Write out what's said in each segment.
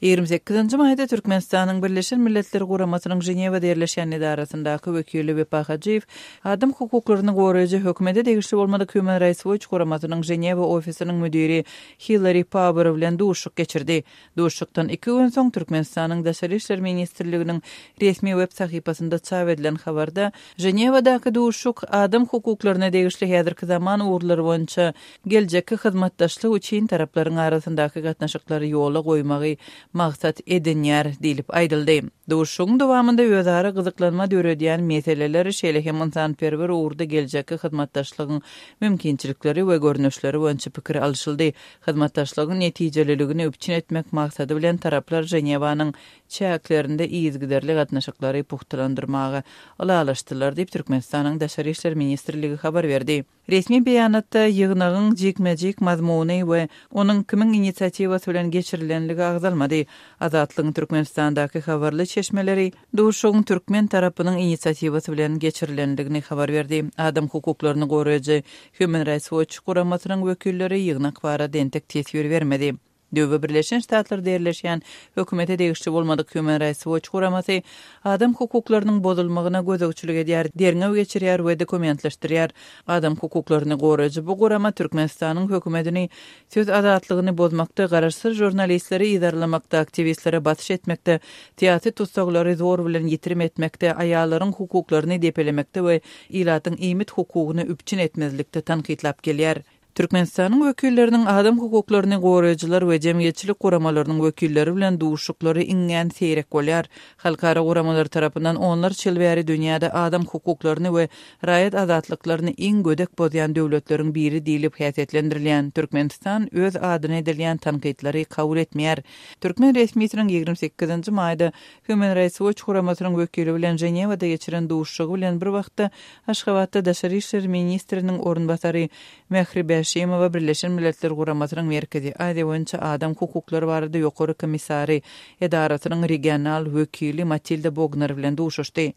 Ýigrimi sekizinji maýda Türkmenistanyň Birleşen Milletler Guramasynyň Ženewada ýerleşýän edarasyndaky wekili Wepa Hajyýew adam hukuklaryny goraýjy hökümete degişli bolmadyk Human Rights Watch guramasynyň Ženewa ofisiniň müdiri Hillari Pauer bilen duşuşyk geçirdi. Duşuşykdan iki gün soň Türkmenistanyň Daşary işler ministrliginiň resmi web sahypasynda çap edilen habarda Ženewadaky duşuşyk adam hukuklaryna degişli häzirki zaman ugurlary boýunça geljekki hyzmatdaşlyk üçin taraplaryň arasyndaky gatnaşyklary ýola goýmagy maksat edinýär diýlip aýdyldy. Duşuşygyň dowamynda özara gyzyklanma döredýän meseleler, şeýle hem ynsanperwer ugurda geljekki hyzmatdaşlygyň mümkinçilikleri we görnüşleri boýunça pikir alyşyldy. Hyzmatdaşlygyň netijeliligini üpjün etmek maksady bilen taraplar Ženewanyň çäklerinde yzygiderli gatnaşyklary pugtalandyrmaga ylalaşdylar diýip, Türkmenistanyň Daşary işler ministrligi habar berdi. Resmi beýanatda ýygnagyň jikme-jik mazmuny we onuň kimiň inisiatiwasy bilen geçirilenligi agzalmady. Azatlygyň Türkmenistandaky habarly çeşmeleri duşuşygyň türkmen tarapynyň inisiatiwasy bilen geçirilendigini habar berdi. Adam hukuklaryny goraýjy Human Rights Watch guramasynyň wekilleri ýygnak barada entek teswir bermedi. Döwbe Birleşen Ştatlarda ýerleşýän hökümete degişli bolmadyk Human Rights Watch guramasy adam hukuklarynyň bozulmagyna gözegçilik edýär, derňew geçirýär we dokumentleşdirýär. Adam hukuklaryny goraýjy bu gurama Türkmenistanyň hökümetini söz azatlygyny bozmakda, garaşsyz žurnalistleri yzarlamakda, aktiwistlere basyş etmekde, syýasy tussaglary zor bilen ýitirim etmekde, aýallaryň hukuklaryny depelemekde we ilatyň iýmit hukugyny üpjün etmezlikde tankytlap gelýär. Türkmenistanyň wekilleriniň adam hukuklaryny goraýjylar we jemgyýetçilik guramalarynyň wekilleri bilen duşuşyklary iňňän seýrek bolýar. Halkara guramalary tarapyndan onlarça ýyl bäri dünýäde adam hukuklaryny we raýat azatlyklaryny iň gödek bozýan döwletleriň biri diýlip häsiýetlendirilýän Türkmenistan öz adyna edilýän tankytlary kabul etmeýär. Türkmen resmisiniň ýigrimi sekizinji maýda Human Rights Watch guramasynyň wekili bilen Ženewada geçiren duşuşygy bilen bir wagtda Aşgabatda daşary işler ministriniň orunbasary Mähri Bäşimowa Birleşen Milletler Guramasynyň Merkezi Aziýa boýunça adam hukuklary barada ýokary komissary edarasynyň regional wekili Matilda Bogner bilen duşuşdy.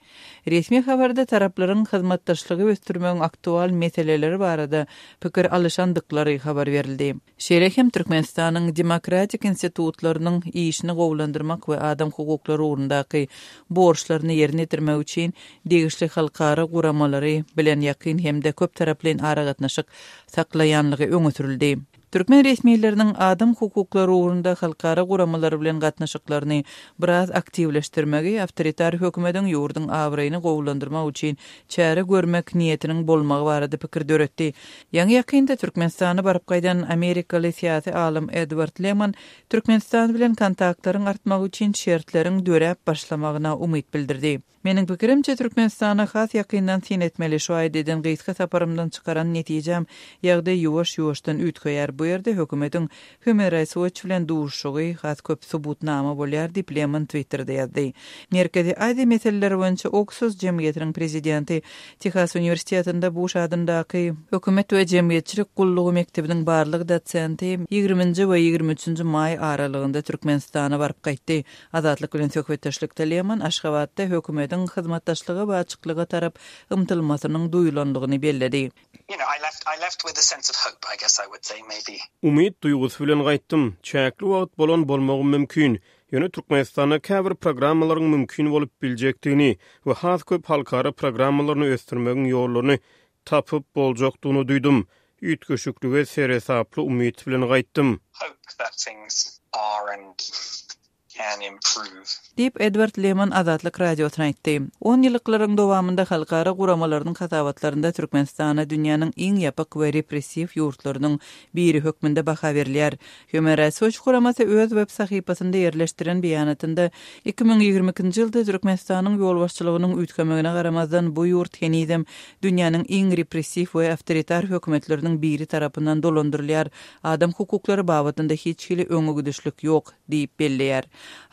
Resmi habarda taraplaryň hyzmatdaşlygy ösdürmegiň aktual meseleleri barada pikir alyşandyklary habar berildi. Şeýle hem Türkmenistanyň demokratik institutlarynyň işini gowulandyrmak we adam hukuklary ugrundaky borçlaryny ýerine ýetirmek üçin degişli halkara guramalary bilen ýakyn hem-de köptaraplaýyn aragatnaşyk saklaýanlygy öňe sürüldi. Türkmen resmileriniň adam hukuklary ugrunda halkara guramalary bilen gatnaşyklaryny biraz aktiwleşdirmegi awtoritar hökümediň ýurduň abraýyny gowulandyrmak üçin çäre görmek niýetiniň bolmagy barada pikir döretdi. Ýaňy-ýakynda Türkmenistana baryp gaýdan amerikaly syýasy alym Edward Leman Türkmenistan bilen kontaktlaryň artmagy üçin şertleriň döräp başlamagyna umyt bildirdi. Meniň pikirimçe, Türkmenistana has ýakyndan syn etmeli. Şu aýda eden gysga saparymdan çykaran netijäm, ýagdaý ýuwaş-ýuwaşdan üýtgeýär. Bu ýerde hökümetiň Human Rights Watch bilen duşuşygy has köp subutnama bolýar diýip, Leman Twitterde ýazdy. Merkezi Aziýa meseleleri boýunça Oksuz jemgyýetiniň prezidenti, Tehas uniwersitetinde Buş adyndaky Hökümet we jemgyýetçilik gullugy mekdebiniň barlag dosenti ýigriminji we ýigrimi üçünji maý aralygynda Türkmenistana baryp gaýtdy. Azatlyk bilen söhbetdeşlikde Leman Aşgabatda hökümetiň hyzmatdaşlyga we açyklyga tarap ymtylmasynyň duýulandygyny belledi. Umyt duýgusy bilen gaýtdym. Çäkli wagt bolan bolmagym mümkin. Ýöne Türkmenistanda käbir programmalaryň mümkin bolup biljekdigini we has köp halkara programmalaryny ösdürmegiň ýollaryny tapyp boljakdygyny duýdum. Üýtgeşiklige seresaply umyt bilen gaýtdym. Can improve. Diýip, Edward Leman Azatlyk Radiosyna aýtdy. Onýyllyklaryň dowamynda halkara guramalarynyň hasabatlarynda Türkmenistana dünýäniň iň ýapyk we repressiw ýurtlarynyň biri hökmünde baha berilýär. Human Rights Watch guramasy öz web sahypasynda ýerleşdiren beýanatynda 2022-nji ýylda Türkmenistanyň ýolbaşçylygynyň üýtgemegine garamazdan bu ýurt henizem dünýäniň iň repressiw we awtoritar hökümetleriniň biri tarapyndan dolandyrylýar, adam hukuklary babatynda hiç hili öňegidişlik ýok. Diýip belleýär.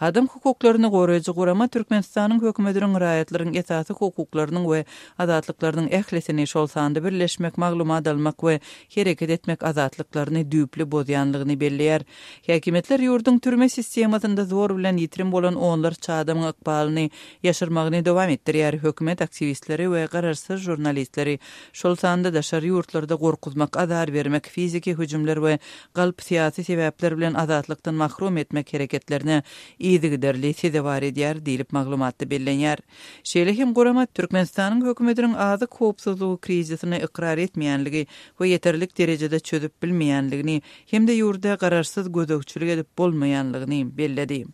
Adam hukuklaryny goraýjy gurama Türkmenistanyň hökümetiniň raýatlaryň esasy hukuklarynyň we azatlyklarynyň ählisini, şol sanda birleşmek, maglumat almak we hereket etmek azatlyklaryny düýpli bozýanlygyny belleýär. Häkimiýetler ýurduň türme sistemasynda zor bilen ýitirim bolan onlarça adamyň ykbalyny ýaşyrmagyny dowam etdirýär, hökümet aktiwistleri we garaşsyz žurnalistleri, şol sanda daşary ýurtlarda gorkuzmak, azar bermek, fiziki hüjümler we galp syýasy sebäpler bilen azatlykdan mahrum etmek hereketlerine. yzygiderli sezewar edýär diýlip maglumatda bellenýär. Şeýle hem gurama Türkmenistanyň hökümetiniň azyk howpsuzlygy krizisini ykrar etmeýänligi we ýeterlik derejede çözüp bilmeýänligini hem-de ýurda garaşsyz gözegçilik edip bolmaýanlygyny belledi.